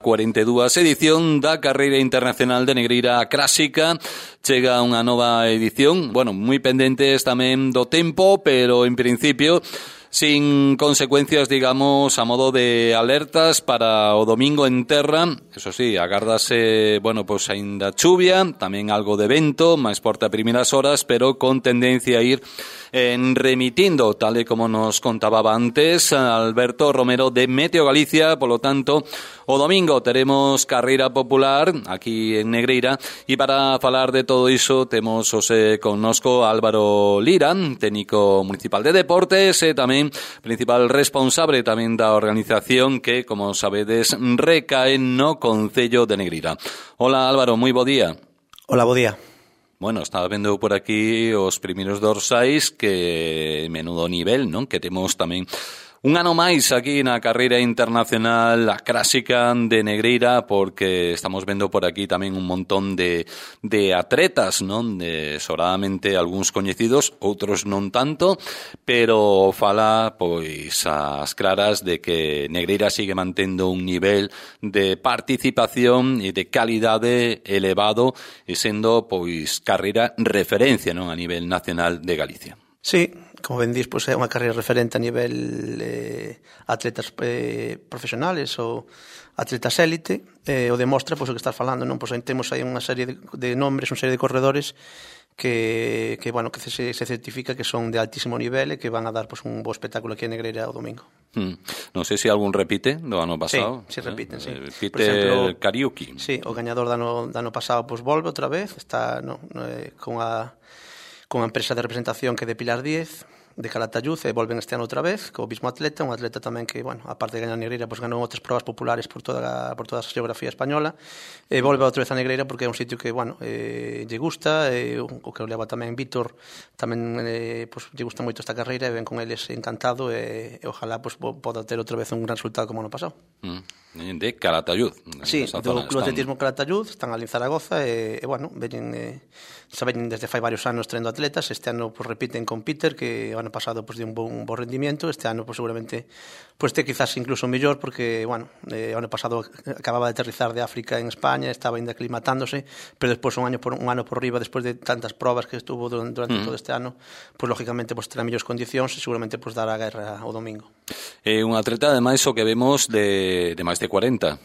42 edición da Carreira Internacional de Negreira Clásica. Chega unha nova edición, moi pendentes tamén do tempo, pero en principio sin consecuencias, digamos, a modo de alertas para o domingo en terra. Eso sí, agárdase, aínda chuvia, tamén algo de vento, máis forte a primeiras horas, pero con tendencia a ir remitindo, tal e como nos contaba antes Alberto Romero de Meteo Galicia. Polo tanto, o domingo teremos carreira popular aquí en Negreira, e para falar de todo iso temos connosco Álvaro Lira, técnico municipal de deportes e tamén principal responsable tamén da organización que, como sabedes, recae no Concello de Negreira. Hola Álvaro, moi bo día. Hola, bo día. Estaba vendo por aquí os primeiros dorsais, que menudo nivel, non? Que temos tamén un ano máis aquí na Carreira Internacional a Clásica de Negreira, porque estamos vendo por aquí tamén un montón de atletas, non? Sobradamente algúns coñecidos, outros non tanto, pero fala pois as claras de que Negreira sigue mantendo un nivel de participación e de calidade elevado e sendo pois carreira referencia, non, a nivel nacional de Galicia. Sí, como ben dís, é unha carreira referente a nivel atletas profesionales ou atletas élite, o demostra o que estás falando, non? Temos aí unha serie de nombres, unha serie de corredores que se certifica que son de altísimo nivel e que van a dar un bo espectáculo aquí en Negreira o domingo. Non sei se algún repite do ano pasado. Sí, repiten, sí. Repite Kariuki. Sí, o gañador do ano pasado volve outra vez, está con a empresa de representación que é de Pilar Díez, de Calatayud, e volven este ano outra vez, co mismo atleta, un atleta tamén que, aparte de gañar Negreira, ganou outras probas populares por toda a geografía española, e volve outra vez a Negreira porque é un sitio que, lle gusta, o que o leva tamén Vítor, tamén lle gusta moito esta carreira, e ven con eles encantado, e ojalá poda ter outra vez un gran resultado como ano pasado. De Calatayud. Sí, do Club Atletismo Calatayud, están ali en Zaragoza, e veñen desde fai varios anos traendo atletas. Este ano repiten con Peter, que o ano pasado dio un bo rendimento. Este ano seguramente te quizás incluso mellor, porque o ano pasado acababa de aterrizar de África en España, estaba ainda aclimatándose, pero despois un ano por riba, despois de tantas probas que estuvo durante todo este ano, lógicamente terá mellores condicións e seguramente dará a guerra o domingo. Un atleta, ademais, o que vemos de máis de 40.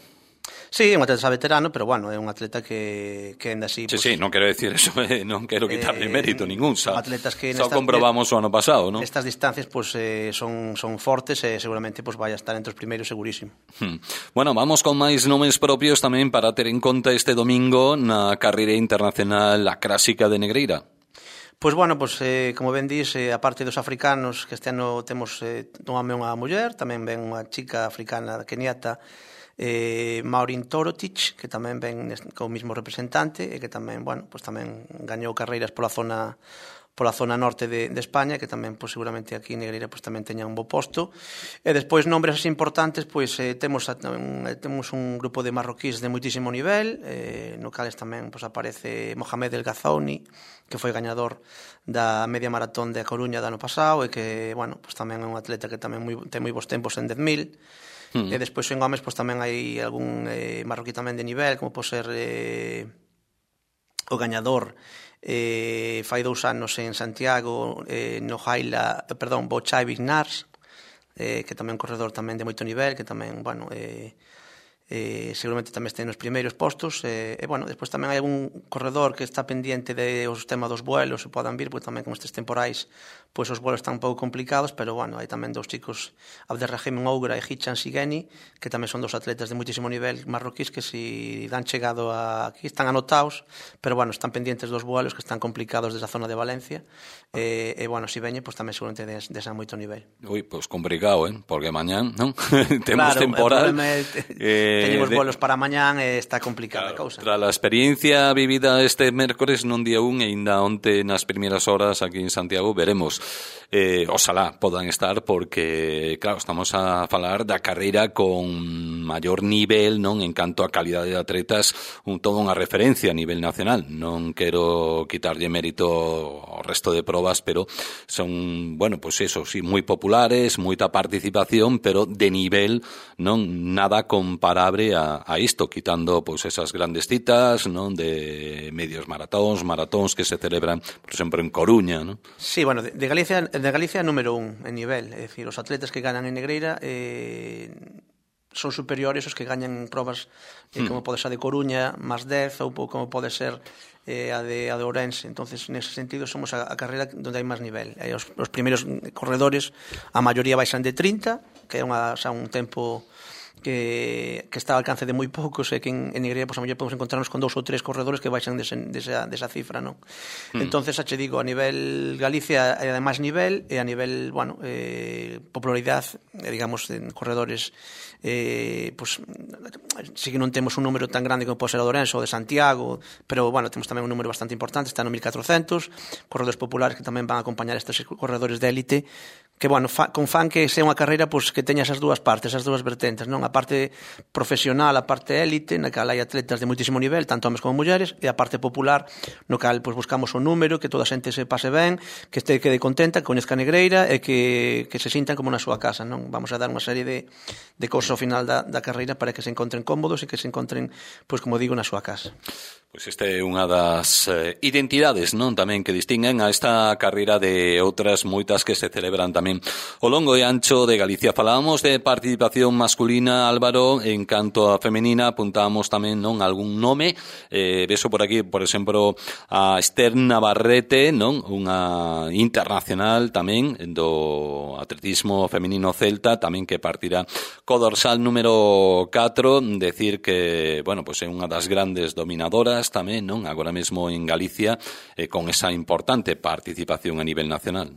Sí, é un atleta veterano, pero é un atleta que ainda así... Sí, non quero decir eso, non quero quitarle mérito ningún, xa comprobamos o ano pasado, non? Estas distancias son fortes e seguramente vai a estar entre os primeiros segurísimo. Vamos con máis nomes propios tamén para ter en conta este domingo na Carreira Internacional a Clásica de Negreira. Como ben dís, a parte dos africanos, que este ano temos un home e unha muller, tamén ven unha chica africana keniata, Maureen Torotic, que tamén ven como mismo representante e que tamén, tamén gañou carreiras pola zona norte de España, que tamén seguramente aquí en Negreira tamén teña un bo posto. E despois nombres así importantes, temos un grupo de marroquíes de moitísimo nivel, no cales tamén aparece Mohamed El Ghazouni, que foi gañador da media maratón de A Coruña do ano pasado e que, tamén é un atleta que tamén ten moi bons tempos en 10.000. E despois en homes tamén hai algún marroquí tamén de nivel, como pode ser o gañador fai 2 anos en Santiago, Bochai Vignars, que tamén é un corredor tamén de moito nivel, que tamén, seguramente tamén este nos primeiros postos, despois tamén hai algún corredor que está pendiente do sistema dos vuelos, se podan vir, porque tamén con estes temporais os vuelos están un pouco complicados, pero hai tamén 2 chicos, Abderrahim Ougra e Hichan Sigeni, que tamén son 2 atletas de moitísimo nivel marroquís, que si dan chegado aquí están anotados, pero están pendientes dos vuelos que están complicados desde a zona de Valencia, e si veñen, tamén seguramente desa moito nivel. Complicado, porque mañán, non? Temos temporal. Teñen os vuelos para mañán e está complicada a cousa. Tras a experiencia vivida este mércores non día 1 e ainda onte nas primeiras horas aquí en Santiago, veremos. Oxalá podan estar, porque claro, estamos a falar da carreira con maior nivel, non, en canto a calidade de atletas, toda unha referencia a nivel nacional. Non quero quitarlle mérito ao resto de probas, pero son, moi populares, moita participación, pero de nivel, non, nada comparado abre a isto, quitando pois esas grandes citas, non, de medios maratóns que se celebran, por exemplo, en Coruña, non? Sí, bueno, de Galicia número 1 en nivel, é dicir, os atletas que ganan en Negreira son superiores os que gañan en probas como pode ser a de Coruña, máis 10, ou como pode ser a de Ourense. Entonces, nese sentido, somos a carreira onde hai máis nivel. Os primeiros corredores, a maioría baixan de 30, que é un tempo que está ao alcance de moi poucos, e que en Negreira, pois, a mellor podemos encontrarnos con 2 ou 3 corredores que baixan desa cifra, non? Entonces, xa che digo, a nivel Galicia é de máis nivel, e a nivel, bueno, popularidade, digamos, en corredores, pois, sí que non temos un número tan grande como pode ser o de Ourense ou de Santiago, pero, bueno, temos tamén un número bastante importante, está no 1400, corredores populares que tamén van a acompañar estes corredores de élite, que, bueno, fan que sea unha carreira, pois, que teña esas dúas partes, esas dúas vertentes, non? A parte profesional, a parte élite, na cal hai atletas de moitísimo nivel, tanto homes como mulleres, e a parte popular, no cal, pois, buscamos un número, que toda a xente se pase ben, que quede contenta, que coñezca a Negreira, e que se sintan como na súa casa, non? Vamos a dar unha serie de cousas ao final da carreira para que se encontren cómodos e que se encontren, pois, como digo, na súa casa. Pois esta é unha das identidades, non, tamén que distinguen a esta carreira de outras moitas que se celebran tamén ao longo e ancho de Galicia. Falábamos de participación masculina, Álvaro, en canto a femenina apuntábamos tamén, non, algún nome, veso por aquí, por exemplo, a Esther Navarrete, non, unha internacional tamén do atletismo femenino celta, tamén que partirá co dorsal número 4, decir que, bueno, pois é unha das grandes dominadoras tamén, non, agora mesmo en Galicia, con esa importante participación a nivel nacional.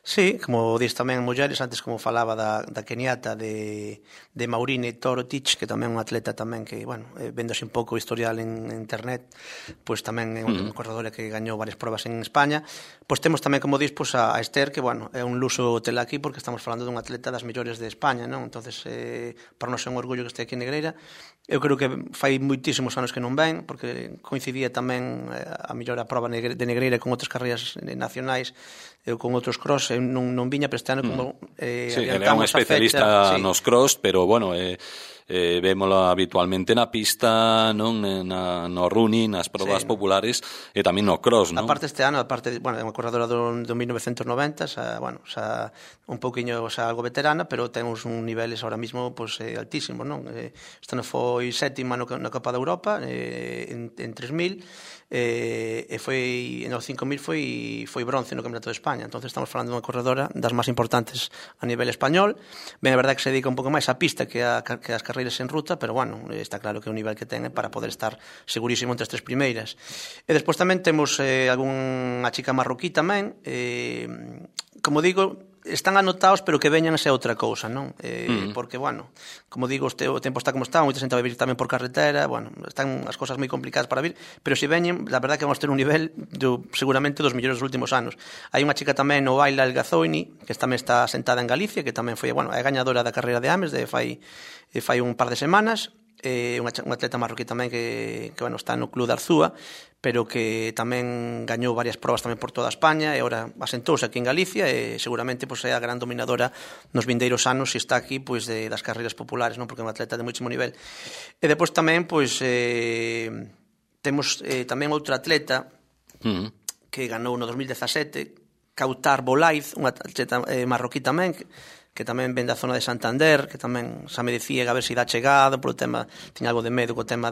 Sí, como dis tamén mulleres, antes como falaba da keniata de Maureen Torotic, que tamén é unha atleta tamén que, bueno, véndose un pouco o historial en internet, pois tamén é unha corredora que gañou varias probas en España. Pois temos tamén, como dis, pois a Esther, que, bueno, é un luso tela aquí porque estamos falando dunha atleta das mellores de España, non? Entonces, para nós é un orgullo que este aquí en Negreira. Eu creo que fai moitísimos anos que non ven, porque coincidía tamén a mellor a prova de Negreira con outras carreiras nacionais, eu con outros cross, eu non viña, pero este ano como sí, ele é un especialista nos cross, pero bueno, vémolo habitualmente na pista, non, no running, nas probas populares e tamén no cross, non? Aparte este ano, bueno, é unha corredora do 1990, bueno, un pouquiño, algo veterana, pero ten uns niveles ahora mismo altísimos, non? Este ano foi sétima na Copa de Europa en 3000, e foi nos 5000 foi bronce no Campeonato de España. Entonces estamos falando dunha corredora das máis importantes a nivel español. Ben, a verdade que se dedica un pouco máis á pista que as carreiras en ruta, pero bueno, está claro que o nivel que ten é para poder estar segurísimo entre as 3 primeiras. E despois tamén temos algunha chica marroquí tamén, como digo, están anotados, pero que veñan a ser outra cousa, non? Porque, bueno, como digo, o tempo está como está, moita xente vai vir tamén por carretera, bueno, están as cousas moi complicadas para vir, pero se veñen, la verdad que vamos ter un nivel seguramente dos mellores dos últimos anos. Hai unha chica tamén, Novaila El Gazoini, que tamén está sentada en Galicia, que tamén foi, bueno, é gañadora da carreira de Ames de fai un par de semanas, unha atleta marroquí tamén que bueno, está no Club de Arzúa, pero que tamén gañou varias probas tamén por toda España e agora asentouse aquí en Galicia e seguramente pois, é a gran dominadora nos vindeiros anos e está aquí pois, das carreiras populares, non, porque é unha atleta de moitísimo nivel. E depois tamén pois, temos tamén outra atleta que ganou no 2017, Kautar Bolaiz, unha atleta marroquí tamén, que tamén ven da zona de Santander, que tamén xa me dicía a ver se dá chegado, polo tema, tiña algo de medo co tema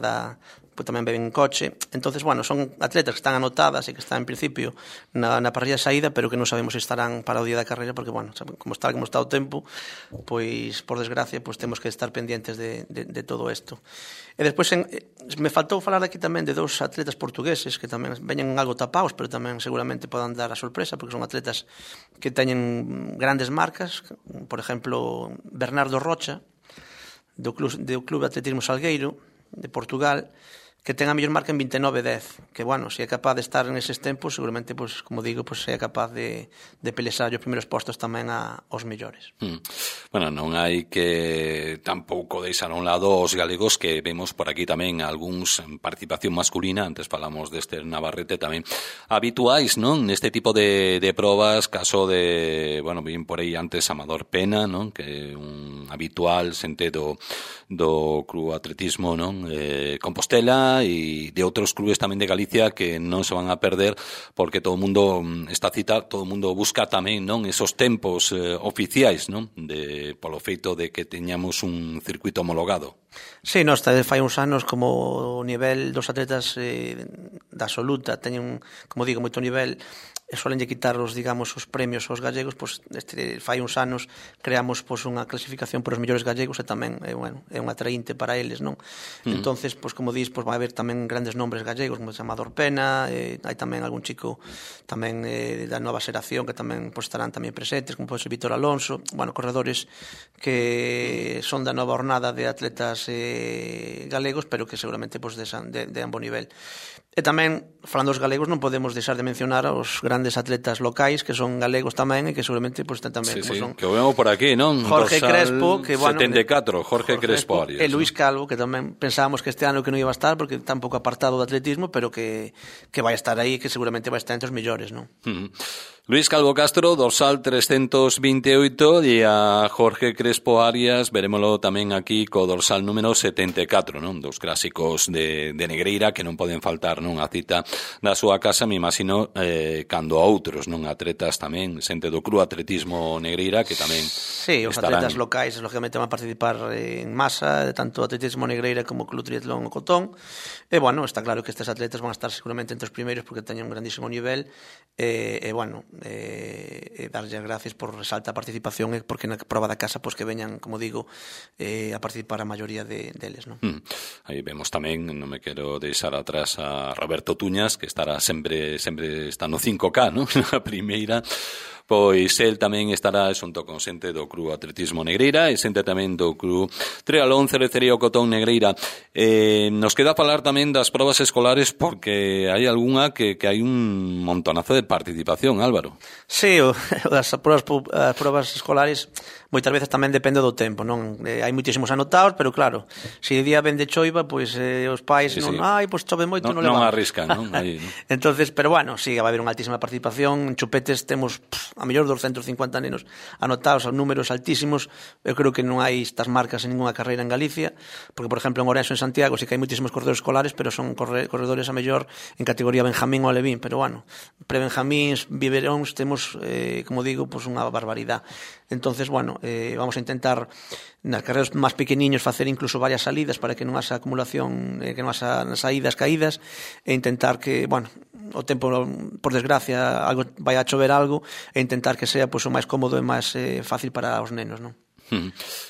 pues tamén ven en coche. Entonces, bueno, son atletas que están anotadas e que están en principio na parrilla de saída, pero que non sabemos se estarán para o día da carreira, porque, bueno, como está o tempo, pois, por desgracia, pois temos que estar pendientes de todo isto. E despois, me faltou falar aquí tamén de dous atletas portugueses que tamén veñen algo tapados, pero tamén seguramente podan dar a sorpresa, porque son atletas que teñen grandes marcas, por exemplo, Bernardo Rocha, do Club de Atletismo Salgueiro, de Portugal, que ten a mellor marca en 29:10, que, bueno, se é capaz de estar en eses tempos, seguramente, pues, como digo, pues, é capaz de pelexar os primeiros postos tamén aos mellores. Bueno, non hai que tampouco deixar a un lado os galegos, que vemos por aquí tamén algúns en participación masculina, antes falamos deste Navarrete tamén, habituais, non? Neste tipo de probas, caso de, bueno, bien por aí antes Amador Pena, non? Que é un habitual xente do Club Atletismo, non? Compostela, e de outros clubes tamén de Galicia que non se van a perder, porque todo o mundo, esta cita, todo o mundo busca tamén, non, esos tempos oficiais, non, polo feito de que teñamos un circuito homologado. Sí, nós fai uns anos como o nivel dos atletas da absoluta teñen, como digo, moito nivel, e solenlle quitar os, digamos, os premios aos gallegos, pois fai uns anos creamos pois unha clasificación por os mellores gallegos e tamén é un atraínte para eles, non? Entonces, pois como dis, pois vai haber tamén grandes nombres gallegos, como Amador Pena, hai tamén algún chico tamén da nova xeración que tamén pois estarán tamén presentes, como pode ser Víctor Alonso, bueno, corredores que son da nova hornada de atletas galegos, pero que seguramente pois de bo nivel. E tamén, falando dos galegos, non podemos deixar de mencionar os grandes atletas locais que son galegos tamén e que seguramente pois tamén como son que o vemos por aquí, non? Jorge Crespo, que bueno, 74, Jorge Crespo Arias, e Luis Calvo, que tamén pensábamos que este ano que non iba a estar porque está un pouco apartado do atletismo, pero que vai estar aí, que seguramente vai estar entre os mellores, non? Luis Calvo Castro, dorsal 328, e a Jorge Crespo Arias verémolo tamén aquí co dorsal número 74, non? Dos clásicos de Negreira que non poden faltar, non? A cita da súa casa, me imagino, cando a outros, non? Atletas tamén, xente do Club Atletismo Negreira que tamén sí, os estarán... atletas locais, lógicamente, van a participar en masa, tanto Atletismo Negreira como Club Triatlón o Cotón, e, bueno, está claro que estes atletas van a estar seguramente entre os primeiros porque teñen un grandísimo nivel, e bueno, darlle as gracias por resalta a participación e porque na proba da casa, pois que veñan, como digo, a participar a maioría deles, non? Aí vemos tamén, non me quero deixar atrás a Roberto Tuñas, que estará sempre está no 5K, non? Na primeira, pois el tamén estará xunto con xente do Club Atletismo Negreira e xente tamén do Club Triatlón Cerecería o Cotón Negreira. Nos queda falar tamén das probas escolares porque hai algunha que hai un montonazo de participación, Álvaro. Sí, as probas escolares moitas veces tamén depende do tempo, non? Hai moitísimos anotados, pero claro, se o día ven de choiva, pois os pais non, pois chove moito, non levamos. Non arriscan, non? Aí, non? Entonces, pero bueno, sí, vai haber unha altísima participación. En Chupetes temos a mellor 250 nenos anotados, a números altísimos. Eu creo que non hai estas marcas en ninguna carreira en Galicia, porque, por exemplo, en Ourense, en Santiago, sí que hai moitísimos corredores escolares, pero son corredores a mellor en categoría Benjamín ou Alevín, pero bueno, pre-Benjamíns, biberóns, temos, como digo, pues unha barbaridade. Entonces, bueno, vamos a intentar nas carreras máis pequeniños facer incluso varias salidas para que non haxa acumulación, que non haxa saídas, caídas, e intentar que, bueno, o tempo, por desgracia, algo vai a chover algo, e intentar que sea pois o máis cómodo e máis fácil para os nenos, non?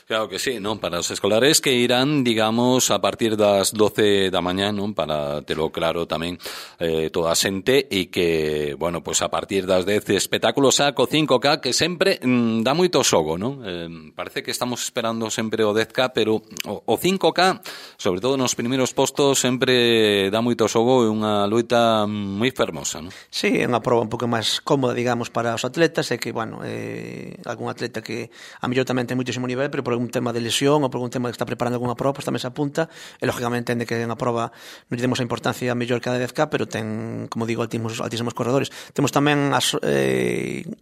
Claro que sí, non? Para os escolares que irán, digamos, a partir das 12 da mañá, non? Para telo claro tamén toda a xente, e que, bueno, pois a partir das 10 espectáculos saco 5K, que sempre dá moito xogo, non? Parece que estamos esperando sempre o 10K, pero o 5K, sobre todo nos primeiros postos, sempre dá moito xogo e unha loita moi fermosa, non? Sí, é unha proba un pouco máis cómoda, digamos, para os atletas, e que, bueno, algún atleta que a mellor tamén ten moitísimo nivel, pero por algún tema de lesión ou por algún tema que está preparando algunha proba, pues tamén se apunta, e lógicamente entende que é unha proba non lle demos a importancia mellor que a 10K, pero ten, como digo, altísimos corredores. Temos tamén a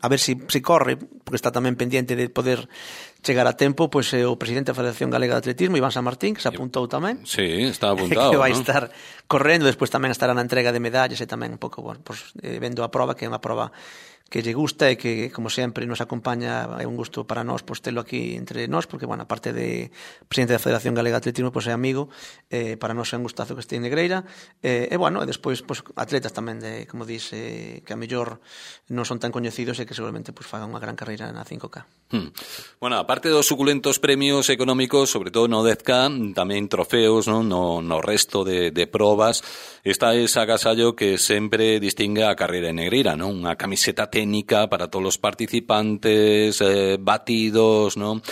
ver se corre, porque está tamén pendiente de poder chegar a tempo, pois o presidente da Federación Galega de Atletismo, Iván San Martín, que se apuntou tamén. Sí, está apuntado, que vai ¿no? estar correndo, despois tamén estará na entrega de medallas e tamén un pouco, bueno, pues, vendo a proba, que é unha proba que lle gusta e que, como sempre, nos acompaña. É un gusto para nós, pois, telo aquí entre nós, porque, bueno, aparte de presidente da Federación Galega de Atletismo, pois é amigo, para nós é un gustazo que este en Negreira, e, bueno, e despois, pois, atletas tamén de, como dis, que a mellor non son tan coñecidos e que seguramente, pois, fagan unha gran carreira na 5K. Bueno, aparte dos suculentos premios económicos, sobre todo no 10K, tamén trofeos, non? No resto de probas, está ese agasallo que sempre distingue a carreira en Negreira, non? Unha camiseta técnica para todos os participantes, batidos, non?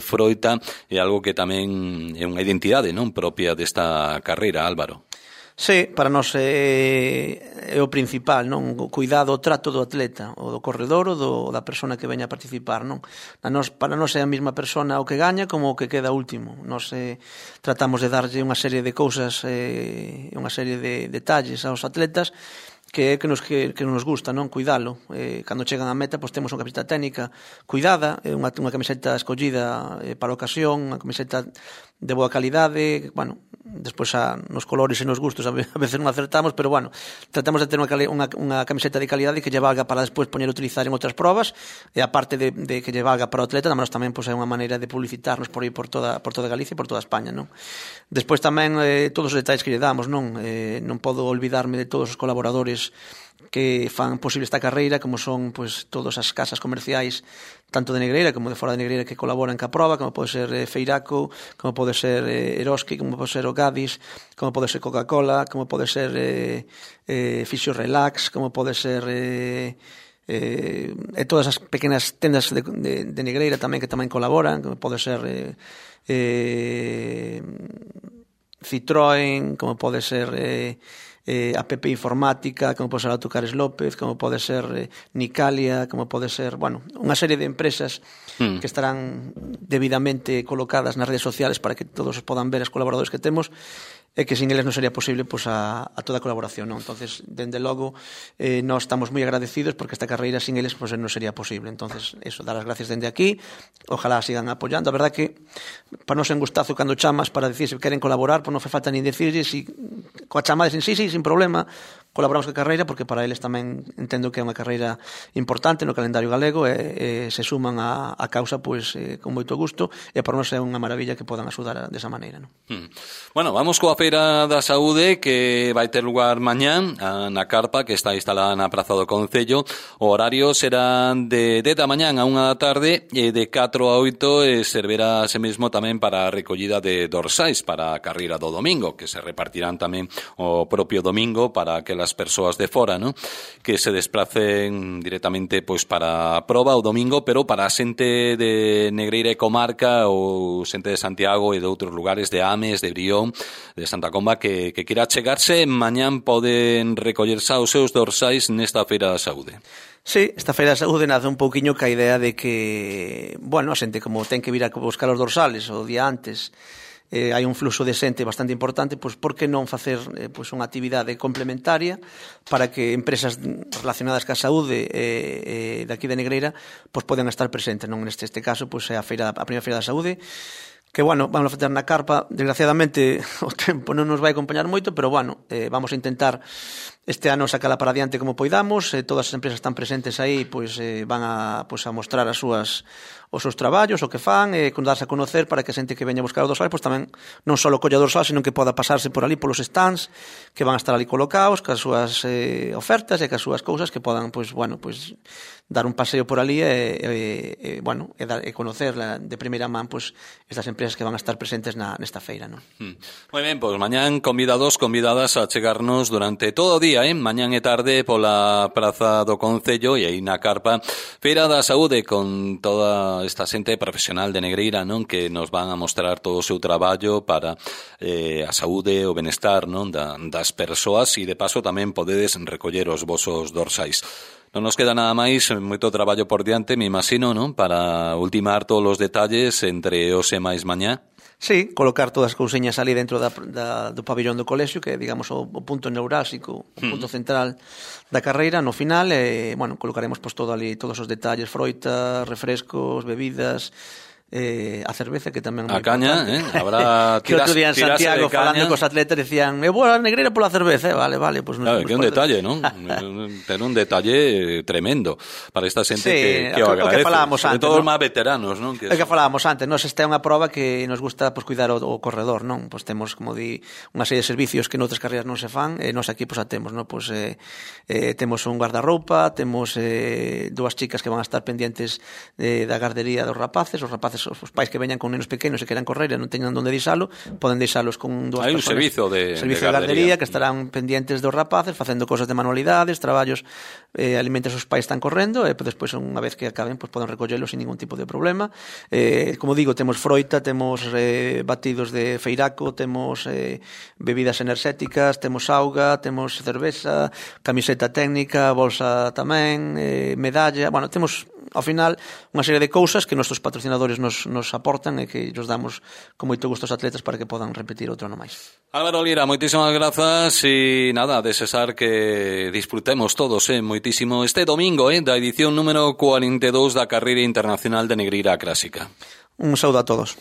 Froita, é algo que tamén é unha identidade, non? Propia desta carreira, Álvaro. Sí, para nós é o principal, non? O cuidado, o trato do atleta, o do corredor ou da persona que veña a participar, non? Para nós é a mesma persona o que gaña como o que queda último. Nós tratamos de darlle unha serie de cousas, unha serie de detalles aos atletas que nos gusta, non? Cuidalo. Cando chegan á meta, pois temos unha camiseta técnica cuidada, unha camiseta escollida para a ocasión, unha camiseta de boa calidade, bueno, despois nos colores e nos gustos a veces non acertamos, pero bueno, tratamos de ter unha camiseta de calidade que lle valga para despois poñer a utilizar en outras probas, e aparte de que lle valga para o atleta, tamén pois é unha maneira de publicitarnos por aí por toda Galicia e por toda España, non? Despois tamén todos os detalles que lle damos, non? Non podo olvidarme de todos os colaboradores que fan posible esta carreira, como son pois todas as casas comerciais tanto de Negreira como de fora de Negreira que colaboran ca proba, como pode ser Feiraco, como pode ser Eroski, como pode ser o Gadis, como pode ser Coca-Cola, como pode ser Fixio Relax, como pode ser e todas as pequenas tendas de Negreira tamén que tamén colaboran, como pode ser Citroën, como pode ser APP Informática, como pode ser Autocares López, como pode ser Nicalia, como pode ser, bueno, unha serie de empresas que estarán debidamente colocadas nas redes sociales para que todos podan ver os colaboradores que temos, e que sin eles non sería posible pues, a toda a colaboración, non? Entonces, dende logo, nós estamos moi agradecidos porque esta carreira sin eles pues, non sería posible. Entonces, eso, dar as gracias dende aquí, ojalá sigan apoiando. A verdad que, para nos en gustazo, cando chamas para decir se queren colaborar, pues non fai falta nin decirlle, si, coa chamada sin sí, sin problema, colaboramos coa carreira, porque para eles tamén entendo que é unha carreira importante no calendario galego e se suman a causa pues, con moito gusto, e para nós é unha maravilla que podan axudar desa maneira, non? Bueno, vamos coa Feira da Saúde que vai ter lugar mañán na carpa que está instalada na Praza do Concello. O horario será de 10 da mañán a 1 da tarde e de 4 a 8 e servirá ese mesmo tamén para a recollida de dorsais para a carreira do domingo, que se repartirán tamén o propio domingo para aquelas persoas de fora, ¿no? Que se desplacen directamente pois para a proba o domingo, pero para a xente de Negreira e comarca ou xente de Santiago e de outros lugares, de Ames, de Brión, de Santa Comba, que quira chegarse, mañán poden recollerse os seus dorsais nesta Feira da Saúde. Sí, esta Feira da Saúde nace un pouquiño ca idea de que, bueno, a xente como ten que vir a buscar os dorsales o día antes, hai un fluxo de xente bastante importante, pois por que non facer pois unha actividade complementaria para que empresas relacionadas ca saúde daqui de Negreira pois poden estar presentes, non? Neste caso, pois é a primeira Feira da Saúde, que, bueno, vamos a facer na carpa. Desgraciadamente o tempo non nos vai acompañar moito, pero, bueno, vamos a intentar este ano sacala para adiante como poidamos. Todas as empresas están presentes aí, pois van a mostrar os seus traballos, o que fan, darse a conocer para que a xente que veña a buscar o dorsal, pois tamén non só colla o dorsal, sino que poda pasarse por ali polos stands que van a estar ali colocados, cas súas ofertas e cas súas cousas que podan, pois, bueno, pois dar un paseo por ali e conocer de primeira man pois estas empresas que van a estar presentes nesta feira, non? Moi ben, pois mañán convidadas a chegarnos durante todo o día, mañán e tarde pola Praza do Concello e aí na carpa Feira da Saúde con toda esta xente profesional de Negreira, non? Que nos van a mostrar todo o seu traballo para a saúde e o benestar, non? Das persoas, e de paso tamén podedes recoller os vosos dorsais. Non nos queda nada máis, moito traballo por diante, me imagino, non? Para ultimar todos os detalles entre hoxe máis mañá. Sí, colocar todas as couseñas ali dentro do pabillón do colexio, que é, digamos, o punto neurálxico, o punto central da carreira. No final, bueno, colocaremos pois todo ali, todos os detalles, froita, refrescos, bebidas, a cerveza, que tamén a caña, habrá que outro día en Santiago falando cos atletas decían, eu vou a Negreira pola cerveza, vale, pues claro, que é un detalle, non? Ten un detalle tremendo para esta xente, sí, que o agradece, que falábamos sobre antes, todo os ¿no? máis veteranos, non? Que falábamos antes, nos esta é unha proba que nos gusta pues, cuidar o corredor, non? Pues temos, como di, unha serie de servicios que noutras carreiras non se fan, e nos aquí pues, a temos, non? Pues, temos un guardarroupa, temos dúas chicas que van a estar pendientes da gardería dos rapaces, os rapaces rapaces, os pais que veñan con nenos pequenos e queran correr e non teñan onde deixalo, poden deixalos con dúas Hai un personas. servizo de gardería que estarán pendientes dos rapaces, facendo cosas de manualidades, traballos, alimentos os pais están correndo, e despois unha vez que acaben, pois poden recollelos sin ningún tipo de problema. Como digo, temos froita, temos batidos de feiraco, temos bebidas enerxéticas, temos auga, temos cerveza, camiseta técnica, bolsa tamén, medalla, bueno, temos ao final unha serie de cousas que nosos patrocinadores nos aportan e que nos damos con moito gusto aos atletas para que podan repetir outro ano máis. Álvaro Lira, moitísimas grazas e nada, desexar que disfrutemos todos moitísimo este domingo da edición número 42 da Carreira Internacional de Negreira Clásica. Un saúdo a todos.